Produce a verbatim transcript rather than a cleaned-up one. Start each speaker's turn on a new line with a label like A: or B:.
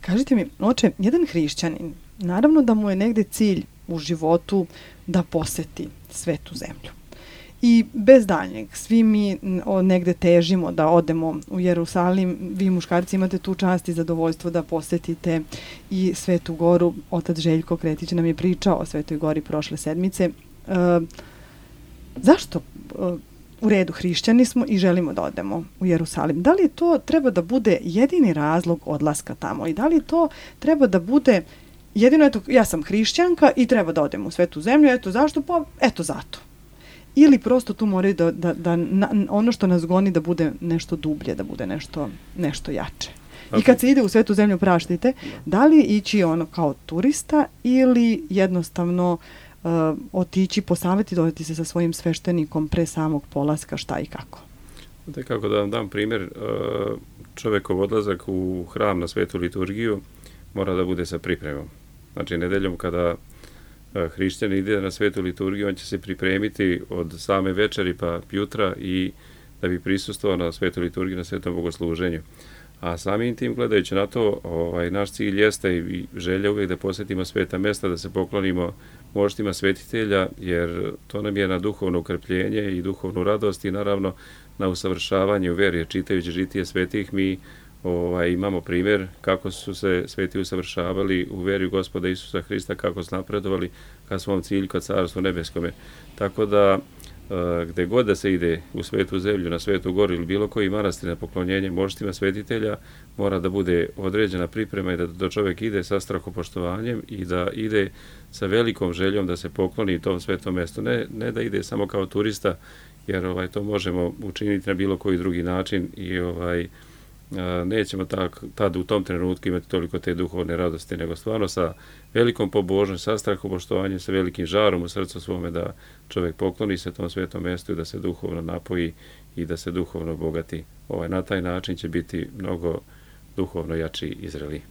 A: Kažite mi, oče, jedan hrišćanin, naravno da mu je negde cilj u životu da poseti svetu zemlju. I bez daljnjeg, svi mi negde težimo da odemo u Jerusalim. Vi muškarci imate tu čast i zadovoljstvo da posetite i Svetu Goru. Otac Željko Kretić nam je pričao o Svetoj Gori prošle sedmice. E, zašto e, u redu hrišćani smo i želimo da odemo u Jerusalim? Da li to treba da bude jedini razlog odlaska tamo? I da li to treba da bude jedino, eto, ja sam hrišćanka i treba da odem u Svetu zemlju, eto zašto? Pa eto zato. Ili prosto tu moraju da, da, da na, ono što nas goni da bude nešto dublje, da bude nešto, nešto jače. I kad se ide u Svetu zemlju, praštite, da li ići ono kao turista ili jednostavno uh, otići, posaveti, dodati se sa svojim sveštenikom pre samog polaska, šta i kako?
B: Da, kako da vam dam primjer, čovjekov odlazak u hram na svetu liturgiju mora da bude sa pripremom. Znači, nedeljom kada hrišćan ide na svetu liturgiju, on će se pripremiti od same večeri pa jutra i da bi prisustvovao na svetu liturgiju, na svetom bogosluženju. A samim tim, gledajući na to, ovaj, naš cilj jeste i želja uvijek da posjetimo sveta mesta, da se poklonimo moštima svetitelja, jer to nam je na duhovno ukrpljenje i duhovnu radost i naravno na usavršavanje u veri. Čitajući žitije svetih, mi ovaj, imamo primjer kako su se sveti usavršavali u veri u Gospoda Isusa Hrista, kako su napredovali ka svom cilju, ka Carstvu nebeskome. Tako da, gde god da se ide u Svetu zemlju, na Svetu Goru ili bilo koji manastir na poklonjenje moštima svetitelja, mora da bude određena priprema i da, da čovjek ide sa strahopoštovanjem i da ide sa velikom željom da se pokloni tom svetom mjestu. Ne, ne da ide samo kao turista, jer ovaj, to možemo učiniti na bilo koji drugi način i ovaj, nećemo tak, tad u tom trenutku imati toliko te duhovne radosti, nego stvarno sa velikom pobožnošću, sa strahopoštovanjem, sa velikim žarom u srcu svome da čovjek pokloni se tom svetom mjestu i da se duhovno napoji i da se duhovno obogati. Ovaj, na taj način će biti mnogo duhovno jači i zreliji.